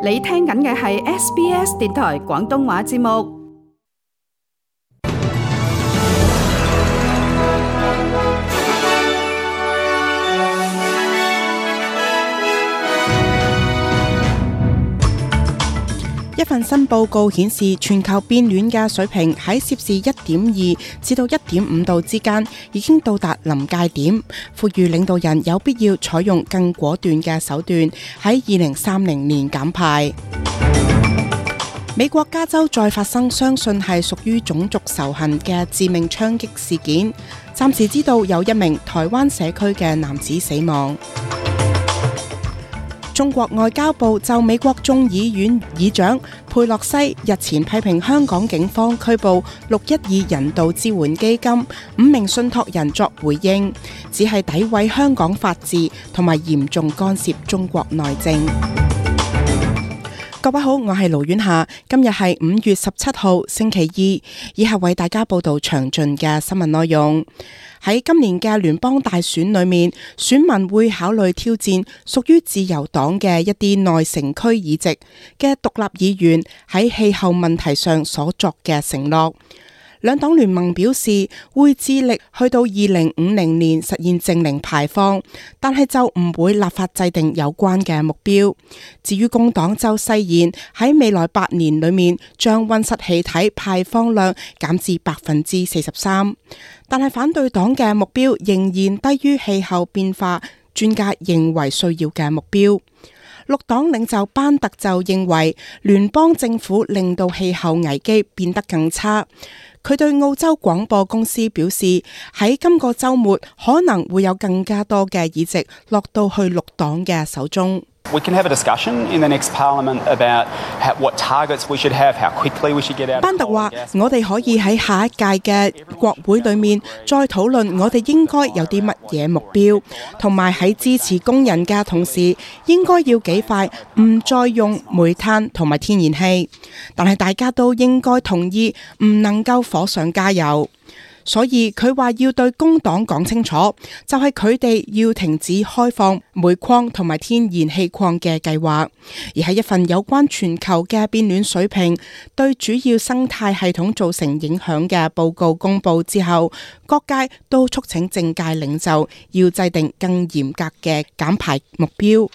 你聽緊嘅係 SBS 電台廣東話節目。一份新報告顯示，全球變暖嘅水平喺攝氏1.2至到1.5度之間已經到達臨界點，呼籲領導人有必要採用更果斷嘅手段喺2030年減排。美國加州再發生相信係屬於種族仇恨嘅致命槍擊事件，暫時知道有一名台灣社區嘅男子死亡。中國外交部就美國眾議院議長佩洛西日前批評香港警方拘捕612人道支援基金5名信託人作回應，只係詆毀香港法治同埋嚴重干涉中國內政。各位好，我係盧婉霞，今日係5月17號星期二，以下為大家報道詳盡嘅新聞內容。喺今年嘅聯邦大選裏面，選民會考慮挑戰屬於自由黨嘅一啲內城區議席嘅獨立議員喺氣候問題上所作嘅承諾。兩黨聯盟表示會致力去到2050年實現淨零排放，但係就唔會立法制定有關嘅目標。至於工黨就誓言喺未來8年裏面將溫室氣體排放量減至43%，但係反對黨嘅目標仍然低於氣候變化專家認為需要嘅目標。綠黨領袖班特就認為聯邦政府令到氣候危機變得更差。佢對澳洲廣播公司表示，喺今個週末可能會有更加多嘅議席落到去綠黨嘅手中。We can have a discussion in the next parliament about what targets we should have, how quickly we should get out. 班特話：我哋可以喺下一屆嘅國會裏面再討論，我哋應該有啲乜嘢目標，同埋喺支持工人嘅同時，應該要幾快唔再用煤炭同埋天然氣。但係大家都應該同意，唔能夠火上加油。所以佢話要對工黨講清楚，就係佢哋要停止開放煤礦同埋天然氣礦嘅計劃。而喺一份有關全球嘅變暖水平對主要生態系統造成影響嘅報告公布之後，各界都促請政界領袖要制定更嚴格嘅減排目標。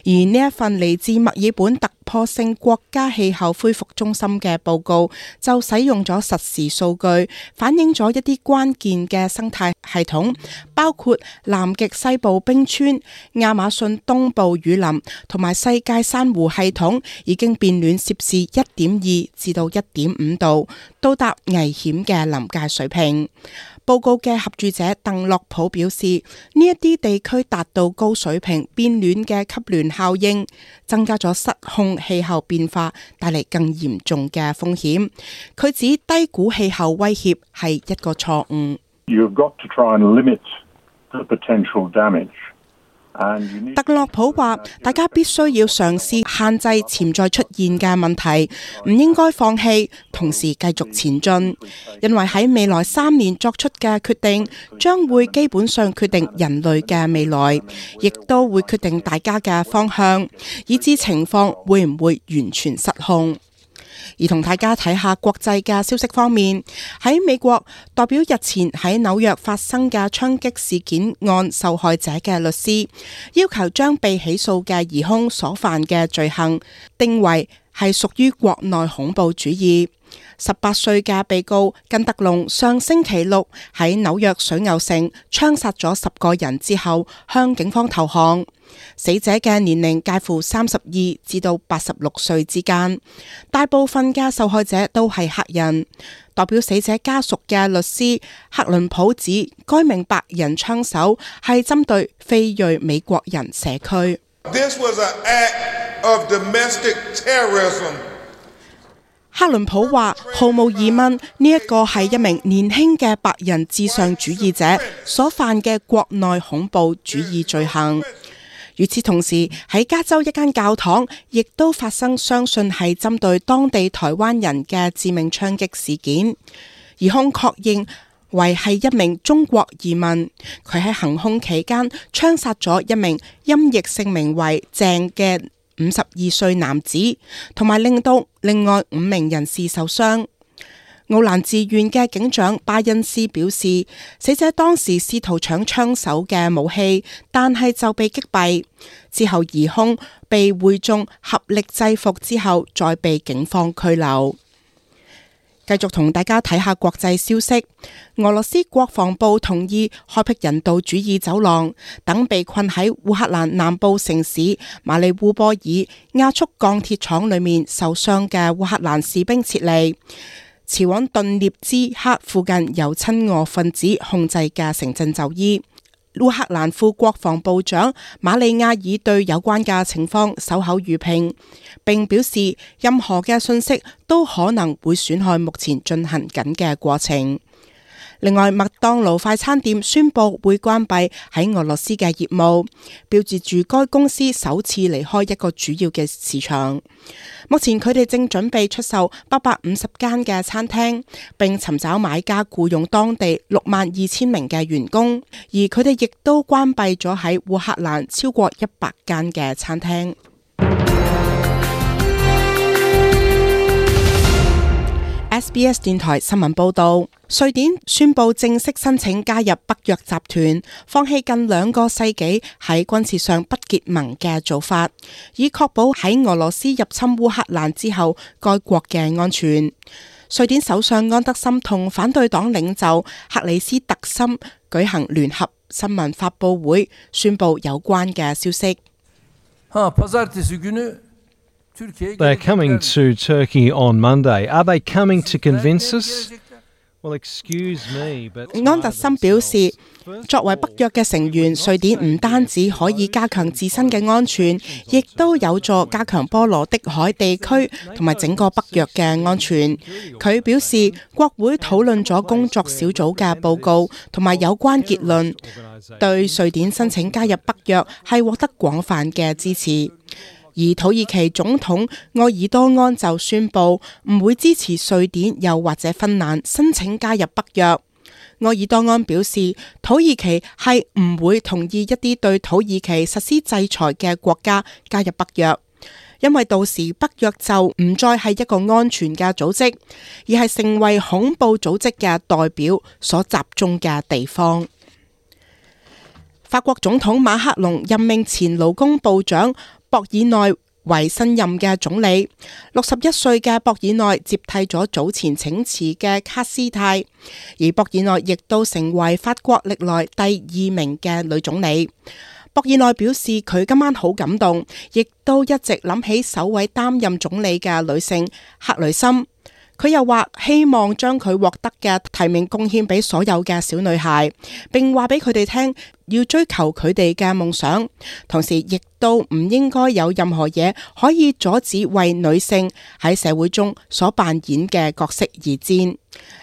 而呢一份嚟自墨爾本突破性國家氣候恢復中心嘅報告，就使用咗實時數據，反映咗一啲關鍵嘅生態系統，包括南極西部冰川、亞馬遜東部雨林同埋世界珊瑚系統已經變暖攝氏1.2至到1.5度，到達危險嘅臨界水平。報告嘅合著者鄧洛普表示，呢一啲地區達到高水平變暖嘅級聯效應，增加咗失控氣候變化帶嚟更嚴重嘅風險。佢指低估氣候威脅係一個錯誤。You've got to try and limit the potential damage. 特洛普話：大家必須要嘗試限制潛在出現嘅問題，唔應該放棄，同時繼續前進，因為喺未來3年作出嘅決定，將會基本上決定人類嘅未來，亦都會決定大家嘅方向，以致情況會唔會完全失控。而同大家睇下國際嘅消息方面，喺美國代表日前喺紐約發生嘅槍擊事件案受害者嘅律師，要求將被起訴嘅疑兇所犯嘅罪行定為係屬於國內恐怖主義。18歲嘅被告根特龍上星期六喺紐約水牛城槍殺咗10個人之後，向警方投降。死者嘅年齡介乎32至到86歲之間，大部分嘅受害者都係黑人。代表死者家屬嘅律師克倫普指，該名白人槍手係針對非裔美國人社區。This was an act of domestic terrorism. 克倫普話：毫無疑問，呢一個係一名年輕嘅白人至上主義者所犯嘅國內恐怖主義罪行。與此同時，喺加州一間教堂亦都發生相信係針對當地台灣人嘅致命槍擊事件，疑兇確認為係一名中國移民，佢喺行兇期間槍殺咗一名音譯姓名為鄭嘅52歲男子，同埋令到另外5名人士受傷。奧蘭治縣嘅警長巴恩斯表示，死者當時試圖搶槍手嘅武器，但係就被擊斃。之後疑兇被會眾合力制服之後，再被警方拘留。繼續同大家睇下國際消息。俄羅斯國防部同意開闢人道主義走廊，等被困喺烏克蘭南部城市馬里烏波爾亞速鋼鐵廠裏面受傷嘅烏克蘭士兵撤離，前往頓涅茲克附近由親俄分子控制嘅城鎮就醫。烏克蘭副國防部長馬利亞爾對有關嘅情況守口如瓶，並表示任何嘅信息都可能會損害目前進行緊嘅過程。另外，麥當勞快餐店宣布會關閉喺俄羅斯嘅業務，標誌住該公司首次離開一個主要嘅市場。目前佢哋正準備出售850間嘅餐廳，並尋找買家僱用當地62,000名嘅員工，而佢哋亦都關閉咗喺烏克蘭超過100間嘅餐廳。SBS 電台新聞報道，瑞典宣布正式申請加入北約集團，放棄近2個世紀喺軍事上不結盟嘅做法，以確保喺俄羅斯入侵烏克蘭之後該國嘅安全。瑞典首相安德森同反對黨領袖克里斯特森舉行聯合新聞發佈會，宣布有關嘅消息。They're coming to Turkey on Monday. Are they coming to convince us? Well, excuse me, but 安德森表示，作為北約嘅成員，瑞典唔單止可以加強自身嘅安全，亦都有助加強波羅的海地區同埋整個北約嘅安全。佢表示，國會討論咗工作小組嘅報告同埋有關結論，對瑞典申請加入北約係獲得廣泛嘅支持。而土耳其總統埃爾多安就宣布唔會支持瑞典又或者芬蘭申請加入北約。埃爾多安表示，土耳其係唔會同意一啲對土耳其實施制裁嘅國家加入北約，因為到時北約就唔再係一個安全嘅組織，而係成為恐怖組織嘅代表所集中嘅地方。法國總統馬克龍任命前勞工部長博爾內為新任嘅總理。61歲嘅博爾內接替咗早前請辭嘅卡斯泰，而博爾內亦都成為法國歷來第2名嘅女總理。博爾內表示佢今晚好感動，亦都一直諗起首位擔任總理嘅女性克雷森。佢又話希望將佢獲得嘅提名貢獻俾所有嘅小女孩，並話俾佢哋聽要追求佢哋嘅夢想，同時亦都唔應該有任何嘢可以阻止為女性喺社會中所扮演嘅角色而戰。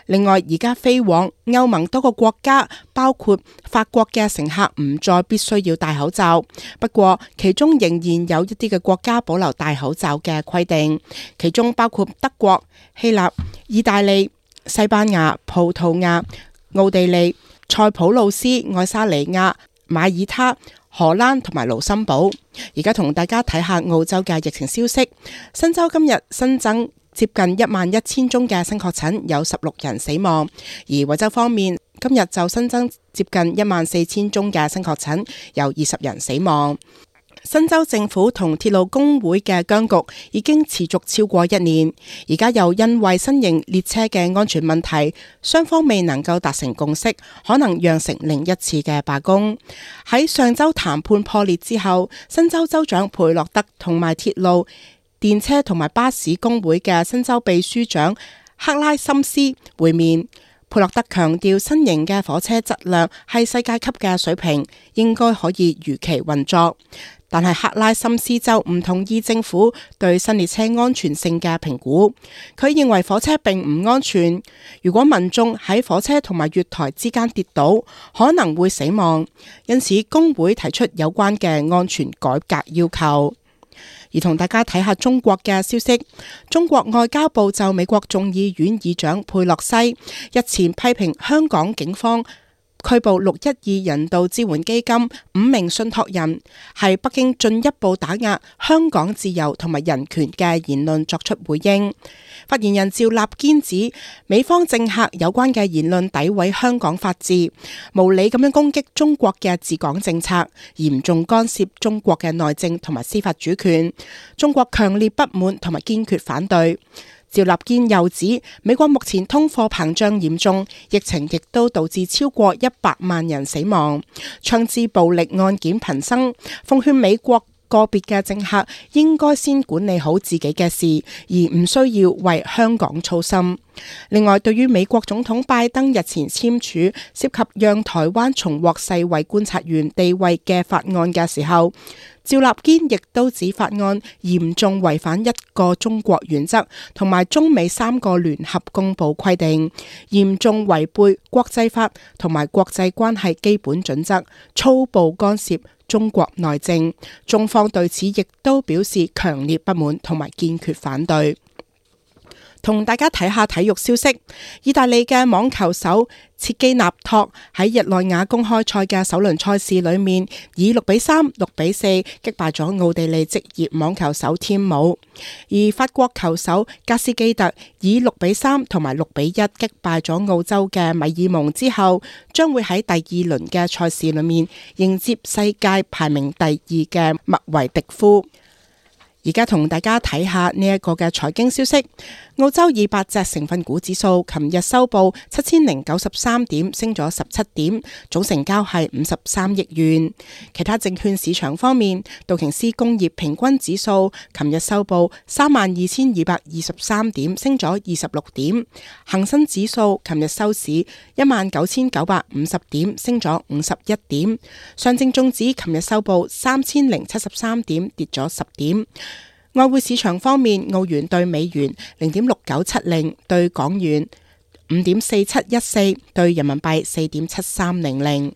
另外，而家飛往歐盟多個國家，包括法國嘅乘客唔再必須要戴口罩，不過其中仍然有一啲嘅國家保留戴口罩嘅規定，其中包括德國、希臘、意大利、西班牙、葡萄牙、奧地利、塞浦路斯、愛沙尼亞、馬爾他、荷蘭同埋盧森堡。而家同大家睇下澳洲嘅疫情消息。新州今日新增接近11000宗嘅新確診，有16人死亡。而維州方面，今日就新增接近14000宗嘅新確診，有20人死亡。新州政府同鐵路工會嘅僵局已經持續超過1年，而家又因為新型列車嘅安全問題，雙方未能夠達成共識，可能釀成另一次嘅罷工。喺上週談判破裂之後，新州州長佩洛德同埋鐵路、電車同埋巴士工會嘅新州秘書長克拉森斯會面。佩洛德強調新型嘅火車質量係世界級嘅水平，應該可以如期運作。但係克拉森斯就唔同意政府對新列車安全性嘅評估，佢認為火車並唔安全，如果民眾喺火車同埋月台之間跌倒，可能會死亡，因此工會提出有關嘅安全改革要求。而同大家睇下中國嘅消息，中國外交部就美國眾議院議長佩洛西日前批評香港警方拘捕612人道支援基金5名信託人，係北京進一步打壓香港自由同埋人權嘅言論作出回應。發言人趙立堅指，美方政客有關嘅言論詆毀香港法治，無理咁樣攻擊中國嘅治港政策，嚴重干涉中國嘅內政同埋司法主權，中國強烈不滿同埋堅決反對。趙立堅又指，美國目前通貨膨脹嚴重，疫情亦都導致超過100萬人死亡，槍支暴力案件頻生，奉勸美國個別嘅政客應該先管理好自己嘅事，而唔需要為香港操心。另外，對於美國總統拜登日前簽署涉及讓台灣重獲世衛觀察員地位嘅法案嘅時候，趙立堅亦都指法案嚴重違反一個中國原則同埋中美3個聯合公報規定，嚴重違背國際法同埋國際關係基本準則，粗暴干涉中國內政。中方對此亦都表示強烈不滿同埋堅決反對。同大家睇下體育消息，意大利嘅網球手切基納托喺日內瓦公開賽嘅首輪賽事裏面，以6-3、6-4擊敗咗奧地利職業網球手添姆，而法國球手加斯基特以6-3同埋6-1擊敗咗澳洲嘅米爾蒙之後，將會喺第二輪嘅賽事裏面迎接世界排名第2嘅麥維迪夫。而家同大家睇下呢一個嘅財經消息。澳洲200隻成分股指數琴日收報7093點，升咗17點，總成交係53億元。其他證券市場方面，道瓊斯工業平均指數琴日收報32223點，升咗26點。恒生指數琴日收市19950點，升咗51點。上證綜指琴日收報3073點，跌咗10點。外匯市場方面，澳元對美元0.6970，對港元5.4714，對人民幣4.7300。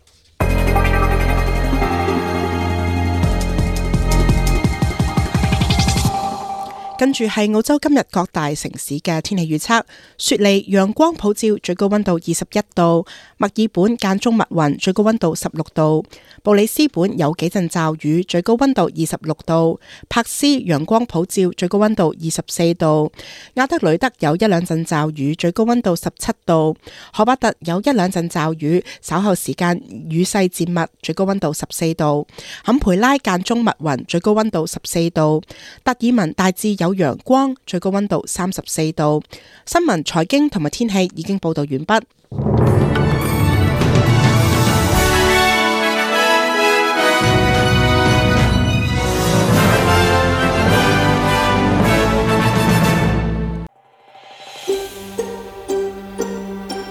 跟住係澳洲今日各大城市嘅天氣預測：雪梨陽光普照，最高溫度21度；墨爾本間中密雲，最高溫度16度；布里斯本有幾陣驟雨，最高溫度26度；珀斯陽光普照，最高溫度24度；亞德雷德有一兩陣驟雨，最高溫度17度；荷巴特有一兩陣驟雨，稍後時間雨勢漸密，最高溫度14度；坎培拉間中密雲，最高溫度14度；達爾文大致有陽光，最高溫度34度。新聞、財經同埋天氣已經報道完畢。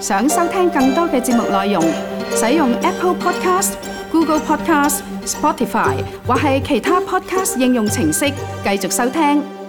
想收聽更多嘅節目內容，使用 Apple Podcast、Google Podcast、Spotify 或係其他 Podcast 應用程式繼續收聽。